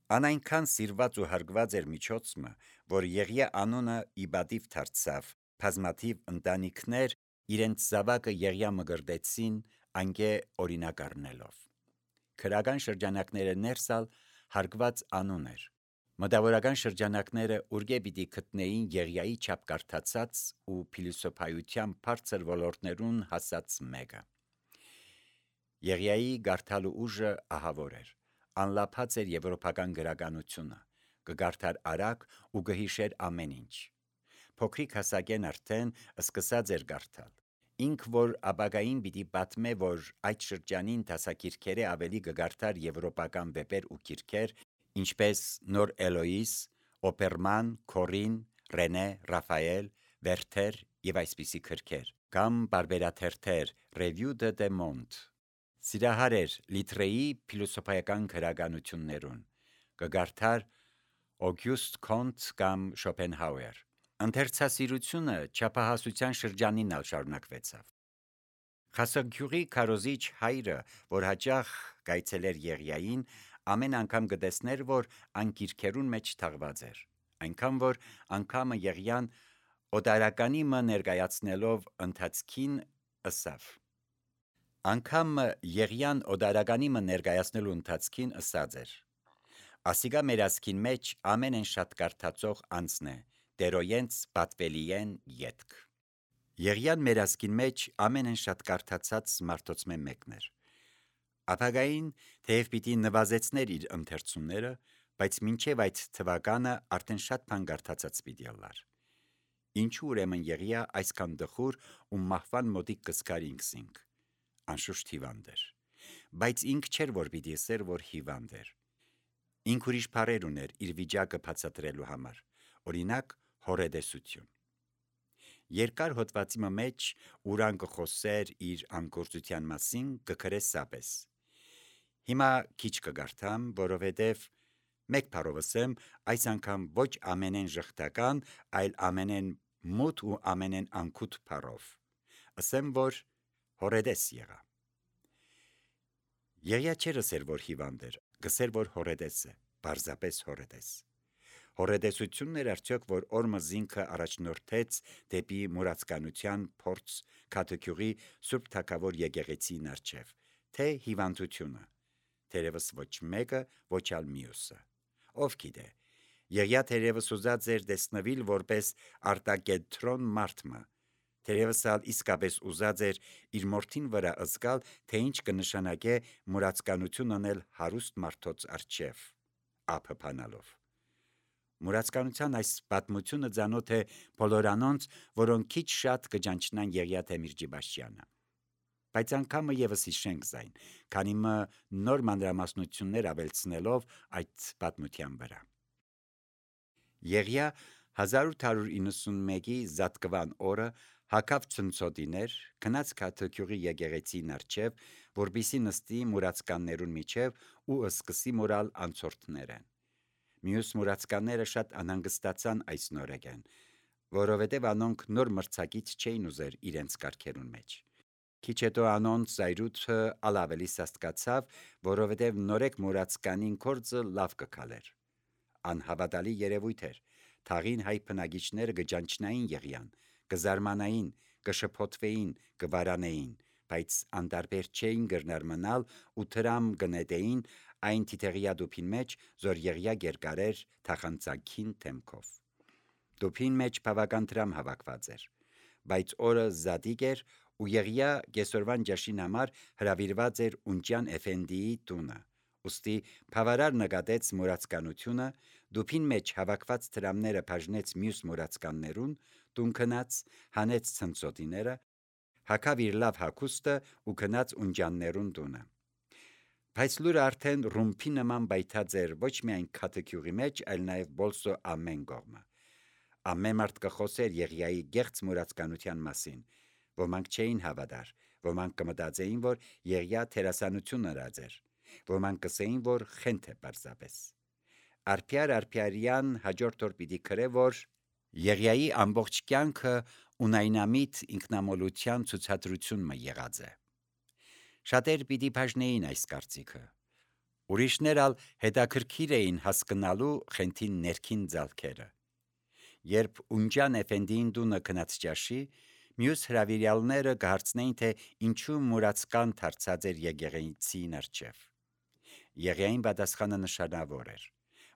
Ան այնքան սիրված ու հարգված էր միջոցը, որ Եղիա անունը իբադիվ դարձավ, բազմաթիվ ընտանիքներ իրենց զավակը Եղիա մգրդեցին անգե օրինակ առնելով։ Քրական շրջանակները ներսալ հարգված անուն էր։ Մտավորական շրջանակները ուրգե պիտի գտնեին Եղիայի չափ կարդացած ու փիլիսոփայության բարձր ոլորտներուն հասած մեկը։ Եղիայի գարթալու ուժը ահավոր էր, անլափած էր եվրոպական գրականությունը, կգարթար արագ ու կհիշեր ամեն ինչ։ Փոքրիկ հասակեն արդեն սկսած էր գարթալ։ Ինք որ ապագային պիտի պատմե, որ այդ շրջանին դասակիրքերը ավելի կգարթար եվրոպական վեպեր ու գիրքեր, ինչպես Նոր Էլոիս, Օպերման, Քորին, Ռենե, Ռաֆայել, Վերթեր եւ այսպիսի գրքեր, կամ բարբերաթերթեր Revue de Monde։ Սիրահար էր Լիտրեի փիլիսոփայական գրականություններուն, կգարթար Օգյուստ Կոնտ կամ Շոպենհաուեր։ Ընթերցասիրությունը չափահասության շրջանին ալ շարունակվեցավ։ Խասագյուղի քարոզիչ հայրը, որ հաճախ գայցելեր Եղիային, ամեն անգամ կտեսներ, որ ան գիրքերուն մեջ թաղված էր, այնքան որ անգամը Եղիան օտարականի մը ներկայացնելով ընթացքին ըսավ։ Անգամը Եղիան օտարականի մը ներկայացնելու ընթացքին ըսած էր. Ասիգա մեր ասքին մեջ ամենեն շատ կարդացող անձն է, դերոյենց պատվելիեն ետք։ Եղիան մեր ասքին մեջ ամենեն շատ կարդացած մարդոց մեկն էր։ Ապագային թեև պիտի նվազեցներ իր ընթերցումները, բայց մինչև այդ թվականը արդեն շատ բան կարդացած պիտի ըլլար։ Ինչու ուրեմն Եղիա այսքան դխուր ու մահվան մոտիկ կսկար ինքսինք։ Անշուշտ հիվանդ էր, բայց ինք չէր որ պիտի ասեր, որ հիվանդ էր։ Ինք ուրիշ բառեր ուներ իր վիճակը բացատրելու համար, օրինակ հորետեսություն։ Երկար հոդվածի մեջ ուրան կխոսեր իր անգործության մասին կգրե սապես։ Հիմա քիչ կգարթամ, որովհետև մեկ բառով ասեմ, այս անգամ ոչ ամենեն ժխտական, այլ ամենեն մութ ու ամենեն անկութ բառով։ Ասեմ, որ հորետես եղա։ Եղիա չէր ասեր, որ հիվանդ էր, գսեր, որ հորետես է, պարզապես հորետես։ Հորետեսությունն էր արդյոք, որ օրմը զինքը առաջնորդեց դեպի մուրացկանության փորձ Քաթեքյուղի Սուրբ Թագավոր եկեղեցին առջև, թե հիվանդությունը, թերևս ոչ մեկը, ոչ ալ մյուսը։ Ով գիտե, Եղիա թերևս ուզած էր տեսնվել որպես արտակենտրոն մարդմը, թերևս ալ իսկապես ուզած էր իր մորթին վրա ըզգալ, թե ինչ կնշանակե մուրացկանություն անել հարուստ մարդոց առջև, ափփանալով։ Մուրացկանության այս պատմությունը ծանոթ է բոլոր անոնց, որոնք քիչ շատ կճանչնան Եղիա Թեմիրճիբաշյանը։ Բայց անգամը եւս հիշենք զայն, քանի մը նոր մանրամասնություններ ավելցնելով այդ պատմության վրա։ Եղիա 1891-ի Զատկվան օրը հագավ ցնցոտիներ, գնաց Քաթեքյուղի եկեղեցին առջև, որպիսի նստի մուրացկաններուն միջև ու սկսի մորալ անցորդներեն։ Մյուս մուրացկանները շատ անհանգստացան այս նորեկեն, որովհետև անոնք նոր մրցակից չէին ուզեր իրենց կարգերուն մեջ։ Քիչ հետո անոնց զայրույթը ավելի սաստկացավ, որովհետև նորեկ մուրացկանին կորձը լավ կքալեր։ Անհավատալի երևույթ էր։ Թաղին հայ բնակիչները կճանչնային Եղիան, կզարմանային, կշփոթվեին, կվարանեին, բայց անտարբեր չէին գրնար մնալ ու դրամ կնետեին այն թիթեղյա դուփին մեջ, որ Եղիա գերկարեր թախանցակին թեմքով։ Դուփին մեջ բավական դրամ հավաքված էր, բայց օրը զատիկ էր ու Եղիա կեսօրվան ջաշին համար հրավիրված էր Ունջյան Էֆենդիի տունը։ Ուստի բավարար նկատեց մուրացկանությունը, դուփին մեջ հավաքված դրամները բաժնեց մյուս մուրացկաններուն, տուն գնաց, հանեց ցնցոտիները, հագավ իր լավ հագուստը ու գնաց Ունջյաններուն տունը։ Բայց լուրը արդեն ռումբի նման բայթած էր ոչ միայն Քաթեքյուղի մեջ, այլ նաև բոլսո ամեն կողմը։ Ամեն մարդ կխոսեր Եղիայի գեղձ մուրացկանության մասին։ Ոմանք չէին հավատար, ոմանք կմտածեին, որ Եղիա թերասանություն արած էր, ոմանք կսեին, որ խենթ է պարզապես։ Արփյար-արփյարյան հաջորդ օր պիտի գրե, որ Եղիայի ամբողջ կյանքը ունայնամիտ ինքնամոլության ցուցադրություն մը եղած է։ Շատեր պիտի բաժնեին այս կարծիքը։ Ուրիշներ ալ հետաքրքիր էին հասկնալու խենթին ներքին ձալքերը։ Երբ Ունջան Էֆենդիին դունը քնած ճաշի, մյուս հրավիրյալները կհարցնեին, թե ինչու մուրացկան դարձած էր եկեղեցին առջև։ Եղիային պատասխանը նշանավոր էր,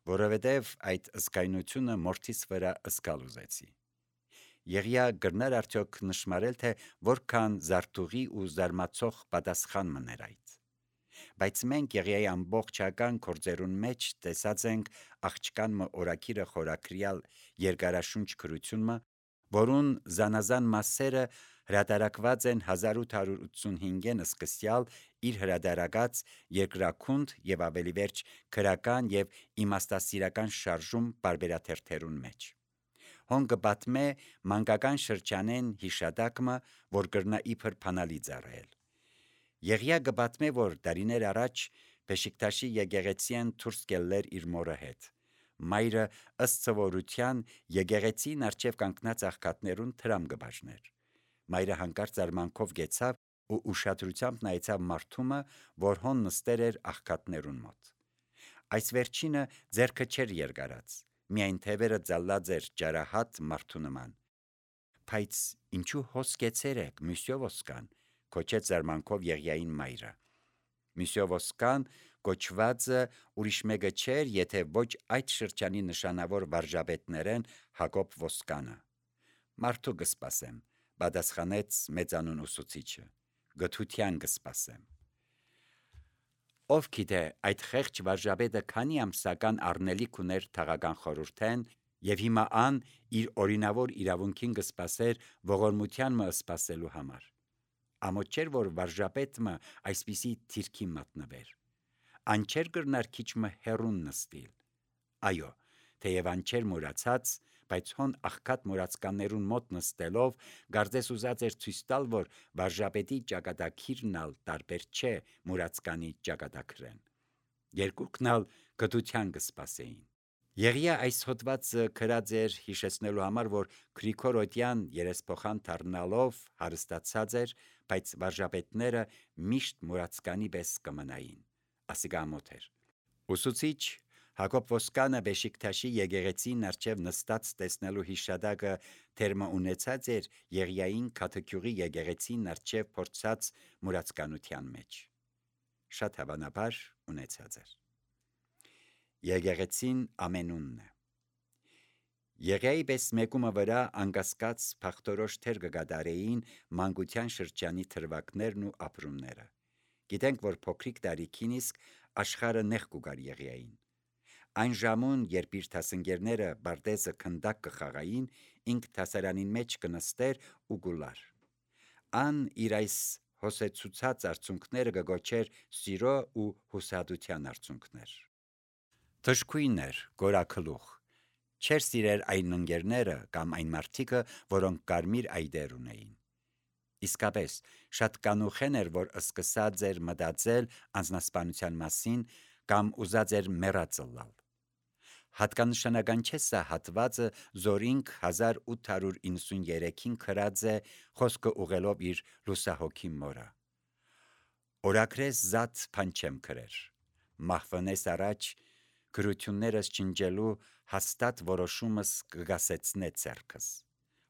որովհետև այդ ըսկայնությունը մորթիս վրա ըսկալ ուզեցի։ Եղիա գրներ արդյոք նշմարել, թե որքան զարթուղի ու զարմացող պատասխան մներ այդ։ Բայց մենք Եղիայի ամբողջական գործերուն մեջ տեսած ենք աղջկան մը օրակիրը խորակրյալ երկարաշունչ գրությունը, որուն զանազան մասերը հրատարակված են 1885-ին սկսյալ իր հրատարակած երկրաքունդ եւ ավելի վերջ քրական եւ իմաստասիրական շարժում բարբերաթերթերուն մեջ։ Հոնգը պատմե մանկական շրջանեն հիշատակը, որ կրնա իբր փանալի ծառայել։ Եղիա կպատմե, որ դարիներ առաջ Բեշիկտաշի եկեղեցին դուրս գելեր իր մորը հետ։ Մայրը ըստ սովորության եկեղեցին առջև կանգնած աղքատներուն թրամ կբաժներ։ Մայրը հանկարծ արմանքով գեցավ ու ուշադրությամբ նայեցավ մարդումը, որ հոն նստեր էր աղքատներուն մոտ։ Այս վերջինը ձեռքը չէր երկարած, միայն թևերը ձալած էր ջարահատ մարդու նման։ Բայց ինչու հոսկեցեր եք, Մյուսյո Ոսկան, կոչեց զարմանքով Եղիային մայրը։ Մյուսյո Ոսկան կոչվածը ուրիշ մեկը չէր, եթե ոչ այդ շրջանի նշանավոր վարժապետներեն Հակոբ Ոսկանը։ Մարդու կսպասեմ, պատասխանեց մեծանուն ուսուցիչը, գթության կսպասեմ։ Ով գիտե, այդ խեղճ վարժապետը քանի ամսական առնելիք ուներ թաղական խորհուրդեն, եւ հիմա ան իր օրինավոր իրավունքին կսպասեր ողորմության մը սպասելու համար։ Ամոթ չէր, որ վարժապետը այսպիսի թիրքի մատնվեր։ Ան չէր կրնար քիչ մը հերուն նստիլ։ Այո, թեև ան չէր մուրացած, բայց հոն աղքատ մուրացկաններուն մոտ նստելով գարձես ուզած էր ցույց տալ, որ վարժապետի ճակատագիրն ալ տարբեր չէ մուրացկանի ճակատագրեն։ Երկուքն ալ գթության կսպասեին։ Եղիա այս հոդվածը գրած էր հիշեցնելու համար, որ Գրիգորոդյան երեսփոխան դառնալով հարստացած էր, բայց վարժապետները միշտ մուրացկանի պես կմնային։ Ասիկա ամոթ էր։ Ուսուցիչ Հակոբ Ոսկանը Բեշիկտաշի եկեղեցին առջև նստած տեսնելու հիշադակը թերմը ունեցած էր Եղիային Քաթեքյուղի եկեղեցին առջև փորձած մուրացկանության մեջ։ Շատ հավանաբար ունեցած էր։ Եկեղեցին ամենունն է։ Եղիայի պես մեկումը վրա անկասկած փախտորոշ թեր կգադարեին մանկության շրջանի թրվակներն ու ապրումները։ Գիտենք, որ փոքրիկ տարիքին իսկ աշխարհը նեղ կուգար Եղիային։ Այն ժամուն, երբ իր դասընկերները բարտեզը քնդակ կխաղային, ինք դասարանին մեջ կնստեր ու գուլար։ Ան իր այս հոսեցուցած արցունքները կգոչեր սիրո ու հուսահատության արցունքներ։ Թշկույն էր, գորակլուխ։ Չէր սիրեր այն ընկերները կամ այն մարդիկը, որոնք կարմիր այդեր ունեին։ Իսկապես, շատ կանուխեն էր, որ սկսած էր մտածել անձնասպանության մասին կամ ուզած էր մեռածլալ։ Հատկանշանական չէ սա հատվածը Զորինք 1893-ին գրած է խոսքը ուղելով իր լուսահոգի մորը։ Օրակրես զատ բան չեմ գրեր։ Մահվնես առաջ գրություններս չնջելու հաստատ որոշումս կգասեցնե ցերքս։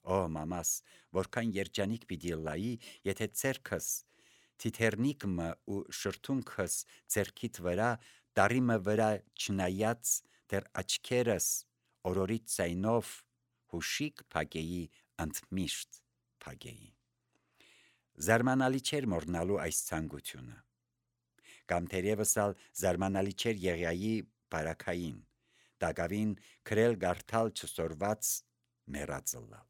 Օ մամաս, որքան երջանիկ պիտի լայի, եթե ցերքս թիթեռնիկը ու շրթունքս ցերքիդ վրա տարիմը վրա չնայած դեռ աչքերս օրորից ցայնով հուշիկ փագեի ընդմիշտ փագեի։ Զարմանալի չէր մոռնալու այս ցանկությունը։ Կամ թերևս ալ զարմանալի չէր Եղիայի բարակային, դակավին քրել գարթալ չսորված մեռածլալ։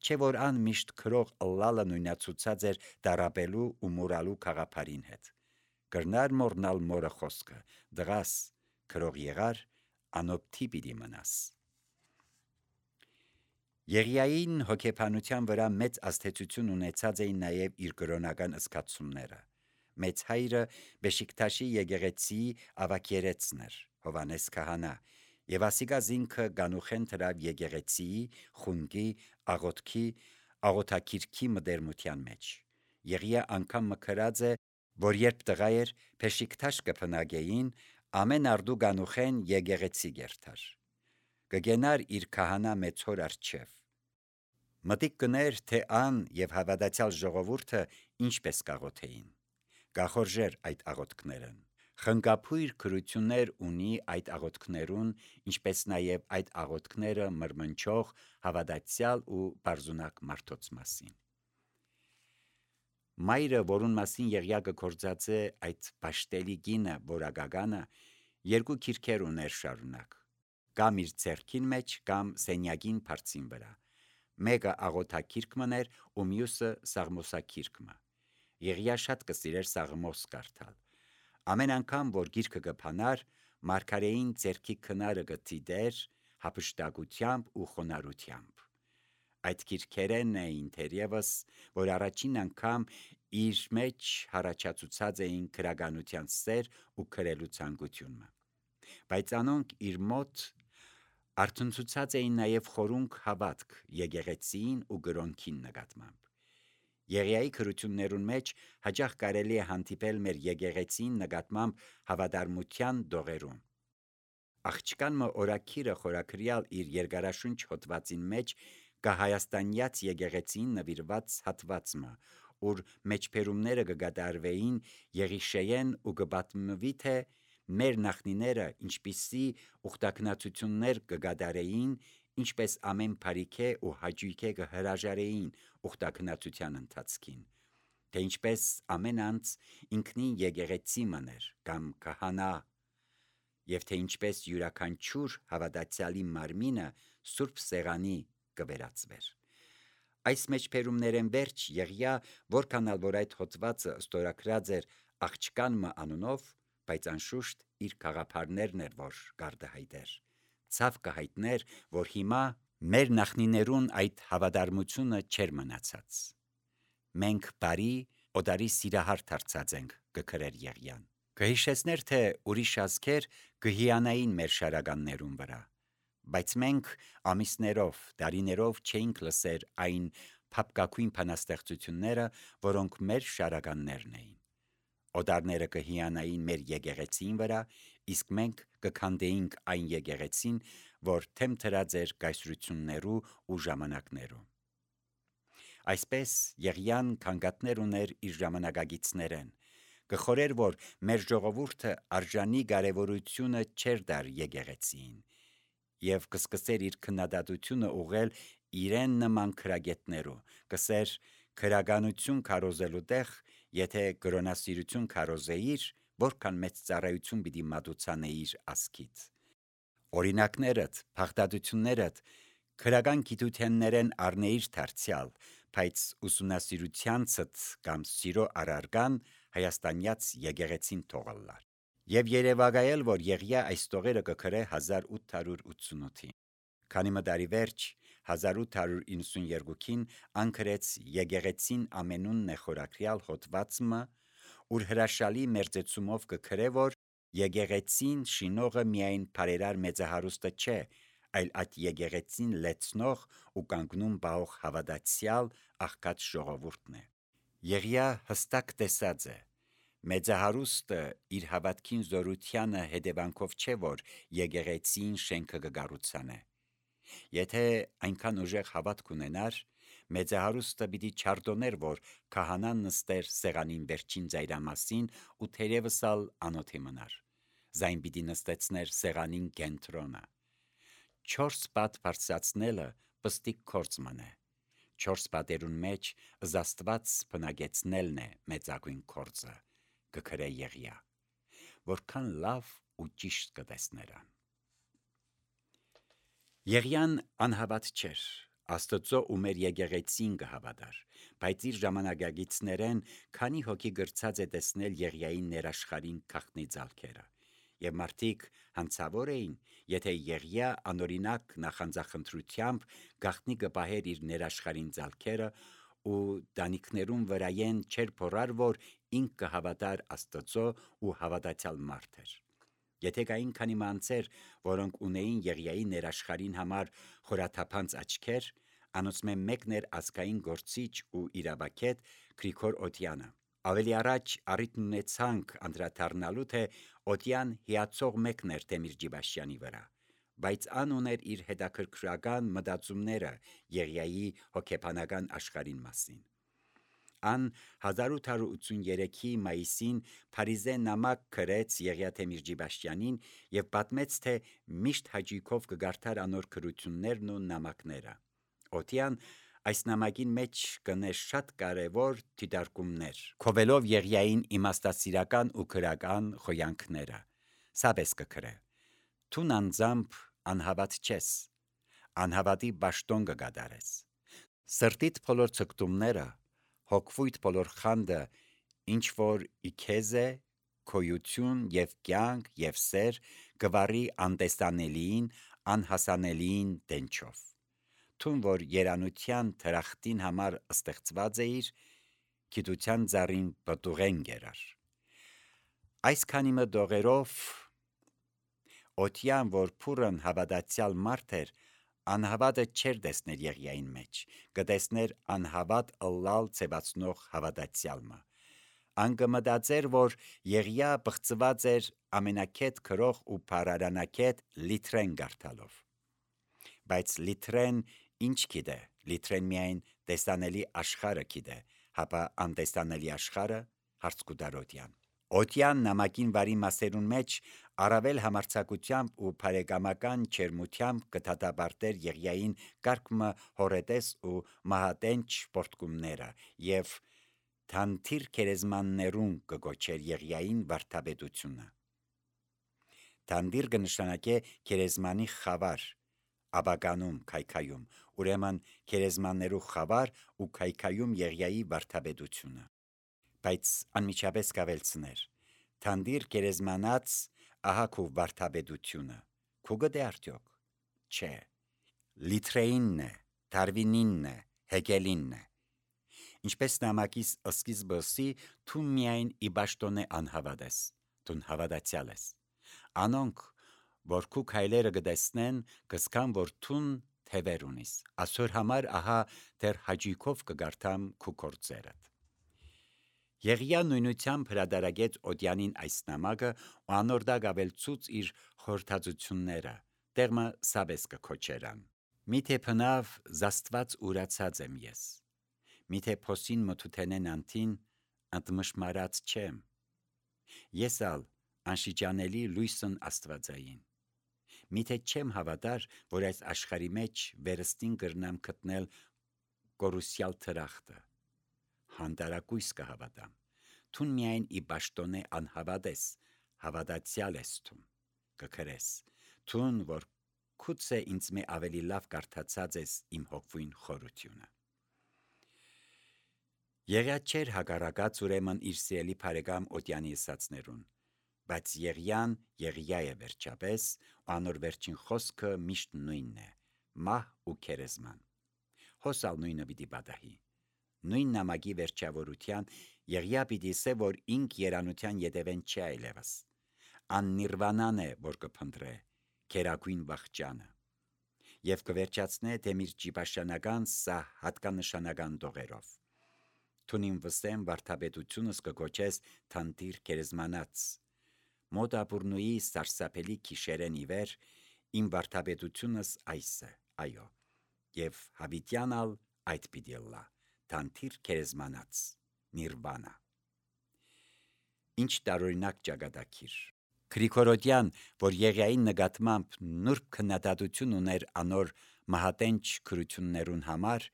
Չէ որ ան միշտ քրող ըլլալը նույնացուցած էր դարապելու ու մուրալու խաղապարին հետ։ Կրնար մոռնալ մորը խոսքը, դղաս, քրող եղար, անոպթի պիտի մնաս։ Եղիային հոգեբանության վրա մեծ ազդեցություն ունեցած էին նաև իր կրոնական զգացումները։ Մեծ հայրը Բեշիկտաշի եկեղեցի ավագերեցն էր, Հովանես քահանա, եւ ասիկա զինքը գանուխեն դրավ եկեղեցիի, խունգի, աղոթքի, աղոթակիրքի մդերմության մեջ։ Եղիա անգամ մկրած է, որ երբ տղա էր Բեշիկտաշ կփնագեին, ամեն արդու գանուխեն եկեղեցի գերթար, կգենար իր քահանա մեծոր արջև, մտիկ կներ, թե ան և հավատացյալ ժողովուրդը ինչպես կաղոթեին, կախորժեր այդ աղոթքներն, խնկափույր քրություններ ունի այդ աղոթքներուն, ինչպես նաև այդ աղոթքները մրմնչող հավատացյալ ու բարձունակ մարդոց մասին։ Մայրը, որուն մասին Եղիա գործած է այդ պաշտելի գինը որակականը, երկու քիրքեր ուներ շարունակ, կամ իր ձեռքին մեջ, կամ սենյակին բարձին վրա, մեկը աղոթակիրք մներ ու մյուսը սաղմոսակիրքը։ Եղիա շատ կսիրեր սաղմոս կարդալ։ Ամեն անգամ, որ գիրքը կփանար, մարգարեին ձեռքի քնարը կդիտեր հափշտակությամբ ու խոնարհությամբ։ Այդ քիրքերեն էին թերևս, որ առաջին անգամ իր մեջ հարաճացուցած էին քրագանության սեր ու քրելու ցանկությունը, բայց անոնք իր մոտ արցնցուցած էին նաև խորունկ հավատք եկեղեցին ու գրոնքին նկատմամբ։ Եղիայի քրություններուն մեջ հաճախ կարելի է հանդիպել մեր եկեղեցին նկատմամբ հավատարմության դողերում։ Աղջկան մը օրակիրը խորակրյալ իր երկարաշունչ հոդվածին մեջ կա հայաստանյաց եկեղեցին նվիրված հատվածը, ուր մեջբերումները կգադարվեին Եղիշեեն ու կպատմվի, թե մեր նախնիները ինչպիսի ուխտակնացություններ կգադարեին, ինչպես ամեն բարիքե ու հաճույքե կհրաժարեին ուխտակնացության ընթացքին, թե ինչպես ամեն անձ ինքնին եկեղեցի մներ կամ քահանա, և թե ինչպես յուրաքանչյուր հավատացյալի մարմինը սուրբ սեղանի կվերածվեր։ Այս մեջբերումներեն վերջ Եղիա, որքանալ որ այդ հոդվածը ստորագրած էր աղջկան մը անունով, բայց անշուշտ իր գաղափարներն էր, որ գարդահայտեր, ցավ կհայտներ, որ հիմա մեր նախնիներուն այդ հավատարմությունը չէր մնացած։ Մենք բարի օդարի սիրահար դարձած ենք, կգրեր Եղիան։ Կհիշեցներ, թե ուրիշ ազգեր կհիանային մեր շարականներուն վրա, բայց մենք ամիսներով, տարիներով չէինք լսեր այն փափկակույն բանաստեղծությունները, որոնք մեր շարականներն էին։ Օդարները կհիանային մեր եկեղեցին վրա, իսկ մենք կքանդեինք այն եկեղեցին, որ թեմ դրած էր կայսրություններու ու ժամանակներու։ Այսպես Եղիան քանգատներ ուներ իր ժամանակագիցներեն, կխորեր, որ մեր ժողովուրդը արժանի կարևորությունը չէր դար եկեղեցին, և կսկսեր իր քննադատությունը ուղղել իրեն նման քրագետներու, կսեր քրագանություն քարոզելու տեղ, եթե կրոնասիրություն քարոզեիր, որքան մեծ ծառայություն պիտի մատուցանեիր ազգիդ։ Օրինակներդ, փախտատություններդ քրական գիտութեններեն առնեիր դարձյալ, բայց ուսումնասիրությանցդ կամ սիրո առարգան հայաստանյաց եկեղեցին թողալար։ Եվ երևակայել, որ Եղիա այս տողերը կգրե 1888-ին։ Քանի մը տարի վերջ 1892-ին անկրեց եկեղեցին ամենունն է խորակրյալ հոդվածը, ուր հրաշալի մերձեցումով կգրե, որ եկեղեցին շինողը միայն բարերար մեծահարուստը չէ, այլ այդ եկեղեցին լեցնող ու կանգնում պահող հավատացյալ աղքատ ժողովուրդն է։ Եղիա հստակ տեսած է, մեծահարուստը իր հավատքին զորությանը հետևանքով չէ, որ եկեղեցին շենքը կկառուցանե։ Եթե այնքան ուժեղ հավատք ունենար, մեծահարուստը պիտի չարդոներ, որ քահանան նստեր սեղանին վերջին ծայրամասին ու թերևս ալ անոթի մնար, զայն պիտի նստեցներ սեղանին կենտրոնը։ 4 պատ բարձրացնելը պստիկ գործ մնե, 4 պատերուն մեջ Աստված բնագեցնելն է մեծագույն գործը, կգրե Եղիա, որքան լավ ու ճիշտ կտեսներան։ Եղիան անհավատ չէր, Աստծո ու մեր եկեղեցին կհավատար, բայց իր ժամանակագիցներեն քանի հոգի գրծած է տեսնել Եղիայի ներաշխարհին գաղտնի ձալքերը, և մարդիկ հանցավոր էին, եթե Եղիա անօրինակ նախանձախնդրությամբ գաղտնի կպահեր իր ներաշխարհին ձալքերը ու տանիքներուն վրայեն չէր փորար, որ ինք կհավատար Աստծո ու հավատացյալ մարդ էր։ Եթե կային քանի մանցեր, որոնք ունեին Եղիայի ներաշխարհին համար խորաթափանց աչքեր, անոնցմէ մեկն էր ազգային գործիչ ու իրավագետ Գրիգոր Օդյանը, Ավելի առաջ առիթ ունեցանք անդրադառնալու, թե օդյան հիացող մեկն էր Թեմիր Ջիբաշյանի վրա, բայց ան ուներ իր հետաքրքրական մտածումները Եղիայի հոգեբանական աշխարհին մասին։ Ան 1883-ի մայիսին Փարիզե նամակ գրեց Եղիա Թեմիր Ջիբաշյանին եւ պատմեց, թե միշտ հաճույքով կգարթար անոր գրություններն ու նամակները։ Օթյան այս նամակին մեջ կներ շատ կարևոր դիտարկումներ, քովելով Եղիային իմաստասիրական ու քրական խոյանքները։ Սաբես կգրե. «Թուն անձամբ անհավատ չես, անհավատի բաշտոն կգադարես։ Սրտիդ բոլոր ցկտումները, հոգվույթ բոլոր խանդը, ինչ որ իքեզ է, քոյություն եւ կյանք եւ սեր, գվարի անտեսանելիին, անհասանելիին դենչով։ Թուն որ երանության թրախտին համար ստեղծված էիր, գիտության ծառին պտուղեն գերար»։ Այս քանի մտողերով Օթյան, որ փուրն հավատացյալ մարդ էր, անհավատը չէր տեսներ Եղիային մեջ, կտեսներ անհավատ ըլլալ ցեվացնող հավատացյալը։ Ան կմտածեր, որ Եղիա բղծված էր ամենակետ քրող ու բարարանակետ Լիթրեն գարթալով։ Բայց Լիթրեն ինչ գիտե, Լիթրեն միայն տեսանելի աշխարհը գիտե, հապա անտեսանելի աշխարհը հարց կուտար Օթյան։ Օթյան նամակին վարի մասերուն մեջ առավել համարձակությամբ ու բարեկամական ջերմությամբ կդատապարտեր Եղիային կարգմը հորետես ու մահատենչ պորտկումները եւ թանթիր քերեզմաններուն կգոչեր Եղիային վարդապետությունը։ Թանդիր կնշանակե քերեզմանի խավար, աբականում քայքայում, ուրեմն քերեզմաններու խավար ու քայքայում Եղիայի վարդապետությունը։ Բայց անմիջապես կավելցներ. թանդիր քերեզմանած ահա քու վարդապետությունը, քու գտե արդյոք։ Չէ, Լիթրեինն է, Դարվինինն է, Հեգելինն է։ Ինչպես նամակիս սկիզբըսի, թու միայն ի բաշտոնե անհավատ ես, թուն հավատացյալ ես։ Անոնք, որ քու քայլերը կտեսնեն, կսկան, որ թուն թևեր ունիս, ասոր համար ահա դեռ հաճույքով կգարթամ քու գործերդ։ Եղիա նույնությամբ հրադարագեց Օթյանին այս նամակը ու անորդակ ավելցուց իր խորհրդածությունները, տեղմը սաբես կքոչերան։ Միթե փնավ զաստված ուրացած եմ ես, միթե փոսին մթութենեն անտին ընդմշմարած չեմ, ես ալ անշիճանելի լույսն աստվածային, միթե չեմ հավատար, որ այս աշխարի մեջ վերստին կրնամ գտնել կորուսյալ թրախտը, հանդարակույս կհավատամ, թուն միայն ի բաշտոնե անհավատ ես, հավատացյալ ես թուն, կգրես, թուն որ քուցե ինձ մե ավելի լավ կարդացած ես իմ հոգվույն խորությունը։ Եղիա չէր հակառակած ուրեմն իր սիրելի բարեկամ Օթյանի ըսածներուն, բայց Եղիան Եղիա է վերջապես, ու անոր վերջին խոսքը միշտ նույնն է՝ մահ ու քերեզման։ Հոսալ նույնը պիտի պատահի։ Նույն նամակի վերջավորության Եղիա պիտի ասե, որ ինք երանության ետևեն չի այլևս։ Ան նիրվանան է, որ կփնտրե, քերագույն վախճանը։ Եվ կվերջացնե Թեմիր Ջիբաշյանական սա հատկանշանական տողերով։ Թունին վստեմ վարդապետությունս կգոչես թանտիր քերեզմանած։ Մոտ ապուրնուի սարսափելի քիշերեն իվեր, իմ վարդապետությունս այս է, այո, եւ հավիտյանալ այդ պիտի լա, թանտիր քերեզմանած, նիրվանա։ Ինչ տարօրինակ ճակատագիր։ Գրիգորոդյան, որ Եղիային նկատմամբ նուրբ քննադատություն ուներ անոր մահատենչ քրություններուն համար,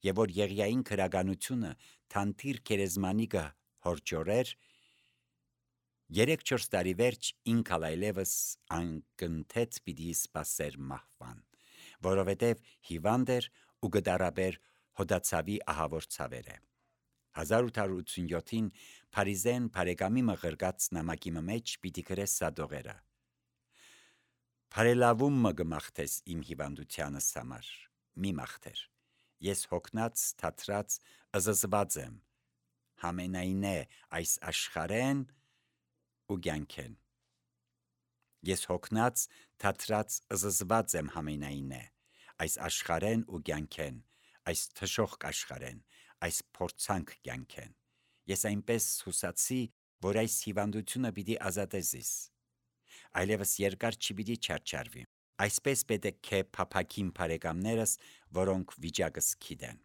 եւ որ Եղիային քրագանությունը թանտիր քերեզմանիկը հորճորեր, 3-4 տարի վերջ ինքալ այլևս անկնթետ պիտի սպասեր մահվան, որովհետև հիվանդ էր ու գդարաբեր հոդացավի ահավոր ցավերը։ 1887-ին Փարիզեն բարեկամի մղրգած նամակի մեջ պիտի գրես սադողերը. «Բարելավում մը գմախտես իմ հիվանդությանս համար, մի մախտեր, ես հոգնած, թատրած, ըզզված եմ, համենայնե այս աշխարեն ու կյանքեն։ Ես հոգնած, թատրած, ըզզված եմ համենայնե այս աշխարեն ու կյանքեն, այս թշոխ աշխարեն, այս փորձանք կյանքեն, Ես այնպես հուսացի, որ այս հիվանդությունը պիտի ազատե զիս։ Այլևս երկար չպիտի չարչարվի։ Այսպես պետք է փափաքին բարեկամներս, որոնք վիճակս գիտեն։